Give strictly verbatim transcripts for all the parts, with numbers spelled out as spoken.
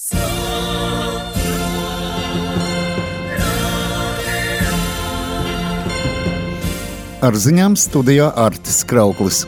Ar ziņām studijā Artis Krauklis.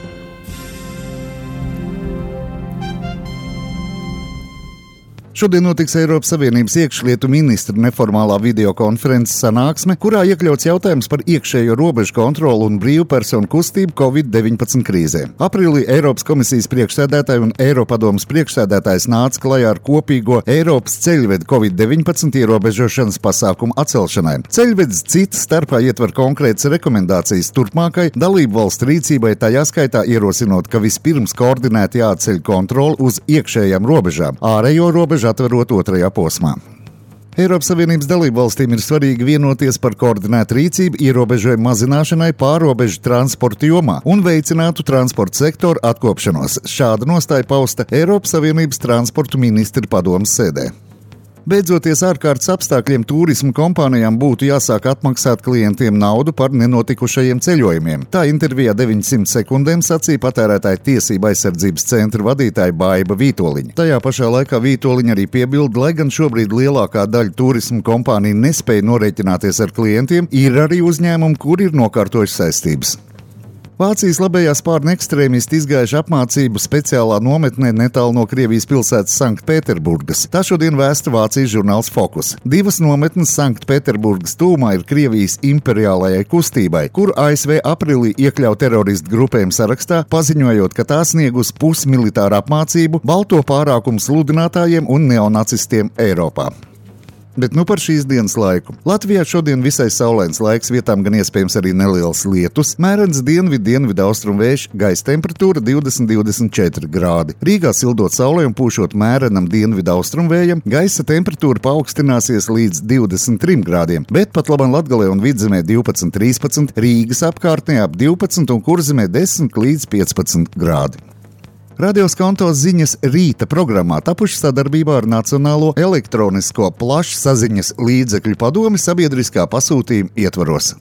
Šodien notiks Eiropas Savienības iekšlietu ministru neformālā videokonferences sanāksme, kurā iekļauts jautājums par iekšējo robežu kontroli un brīvu personu kustību covid deviņpadsmit krīzē. Aprīlī Eiropas komisijas priekšsēdētāji un Eiropadomes priekšsēdētājs nāca klajā ar kopīgo Eiropas ceļvedu covid deviņpadsmit ierobežošanas pasākumu atcelšanai. Ceļvedis cita starpā ietver konkrētas rekomendācijas turpmākai dalību valstu rīcībai, tajā skaitā ierosinot, ka vispirms koordinēti jāatceļ kontroli uz iekšējām robežām, ārējo robežu atverot otrajā posmā. Eiropas Savienības dalībvalstīm ir svarīgi vienoties par koordinētu rīcību ierobežojumu mazināšanai pārrobežu transporta jomā un veicinātu transporta sektoru atkopšanos. Šāda nostāja pausta Eiropas Savienības transportu ministru padomes sēdē. Beidzoties ārkārtas apstākļiem, turisma kompānijām būtu jāsāk atmaksāt klientiem naudu par nenotikušajiem ceļojumiem. Tā intervijā deviņsimt sekundēm sacīja Patērētāju tiesību aizsardzības centra vadītāja Baiba Vītoliņa. Tajā pašā laikā Vītoliņa arī piebilda, lai gan šobrīd lielākā daļa turisma kompāniju nespēja norēķināties ar klientiem, ir arī uzņēmumi, kuri ir nokārtojuši saistības. Vācijas labējā spārna ekstrēmisti izgājuši apmācību speciālā nometnē netālu no Krievijas pilsētas Sanktpēterburgas. Tā šodien vēsta Vācijas žurnāls Fokus. Divas nometnes Sanktpēterburgas tūmā ir Krievijas imperiālajai kustībai, kur A S V aprīlī iekļauj teroristu grupējumu sarakstā, paziņojot, ka tā sniegus pusmilitāru apmācību balto pārākumu sludinātājiem un neonacistiem Eiropā. Bet nu par šīs dienas laiku. Latvijā šodien visai saulains laiks, vietām gan iespējams arī neliels lietus, mērens dienvidu dienvidu austrumu vējš, gaisa temperatūra divdesmit līdz divdesmit četri grādi. Rīgā sildot saulē un pūšot mērenam dienvidu austrumu vējam, gaisa temperatūra paaugstināsies līdz divdesmit trim grādiem, bet pat labam Latgalē un Vidzemē divpadsmit līdz trīspadsmit, Rīgas apkārtnē ap divpadsmit un Kurzemē desmit līdz piecpadsmit grādi. Radio Skonto ziņas rīta programmā tapuši sadarbībā ar Nacionālo elektronisko plašsaziņas līdzekļu padomi sabiedriskā pasūtījuma ietvaros.